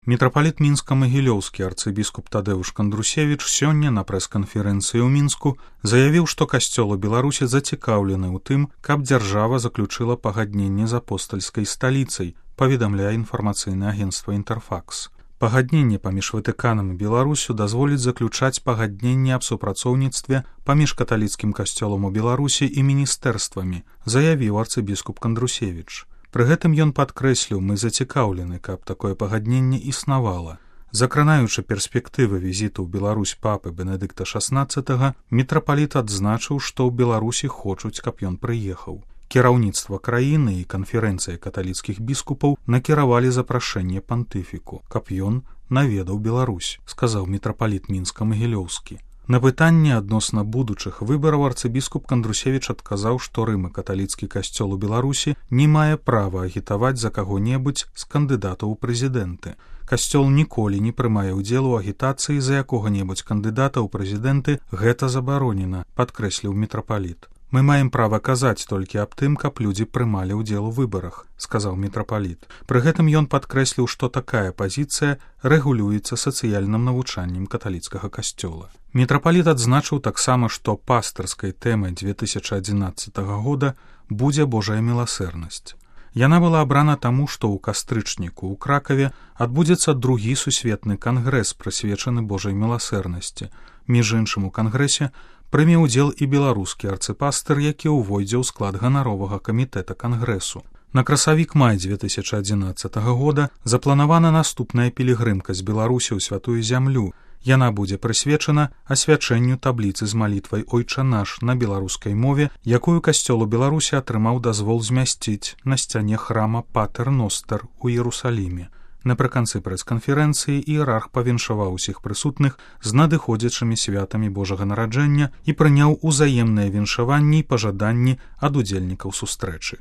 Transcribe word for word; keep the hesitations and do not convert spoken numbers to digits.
Мітрапаліт мінска-магілёўскі арцыбіскуп Тадэўш Кандрусевіч сёння на прэс-канферэнцыі ў Мінску заявіў, што касцёл у Беларусі зацікаўлены ў тым, каб дзяржава заключыла пагадненне з апостальскай сталіцай, паведамляе інфармацыйнае агенцтва «Інтэрфакс». Пагадненне паміж Ватыканам і Беларусю дазволіць заключаць пагадненне аб супрацоўніцтве паміж каталіцкім касцёлам у Беларусі і міністэрствамі, заявіў арцыбіскуп Кандрусевіч. Пры гэтым ён падкрэсліў, мы зацікаўлены, каб такое пагадненне існавала. Закранаючы перспектывы візіту ў Беларусь папы Бенедыкта шаснаццатага, мітрапаліт адзначыў, што ў Беларусі хочуць, каб ён прыехаў. Кіраўніцтва краіны і канферэнцыя каталіцкіх біскупаў накіравалі запрашэнне пантыфіку, каб ён наведаў Беларусь, сказаў мітрапаліт мінска-магілёўскі. На пытанне адносна будучых выбараў арцыбіскуп Кандрусевіч адказаў, што Рым і каталіцкі касцёл у Беларусі не мае права агітаваць за каго-небудзь з кандыдатаў у прэзідэнты. Касцёл ніколі не прымае ўдзел у агітацыі за якога-небудзь кандыдата ў прэзідэнты, гэта забаронена, падкрэсліў мітрапаліт. Мы маем права казаць толькі аб тым, каб людзі прымалі ўдзел у выбарах, сказаў мітрапаліт. Пры гэтым ён падкрэсліў, што такая пазіцыя рэгулюецца сацыяльным навучаннем каталіцкага касцёла. Мітрапаліт адзначыў таксама, што пастырскай тэмай две тысячы адзінаццатага года будзе Божая міласэрнасць. Яна была абрана таму, што ў кастрычніку ў Кракаве адбудзецца другі сусветны кангрэс, прысвечаны Божай міласэрнасці. Між іншым у кангрэсе прыме ўдзел і беларускі арцыпастыр, які ўвойдзе ў склад ганаровага камітэта кангрэсу. На красавік-май две тысячы адзінаццатага года запланавана наступная пілігрымка з Беларусі ў святую зямлю. Яна будзе прысвечана асвячэнню табліцы з малітвай «Ойча наш» на беларускай мове, якую касцёл у Беларусі атрымаў дазвол змясціць на сцяне храма Патер Ностер у Іерусаліме. Напрыканцы прэс-канферэнцыі іерарх павіншаваў усіх прысутных з надыходзячымі святамі Божага нараджэння і прыняў узаемныя віншаванні і пажаданні ад удзельнікаў сустрэчы.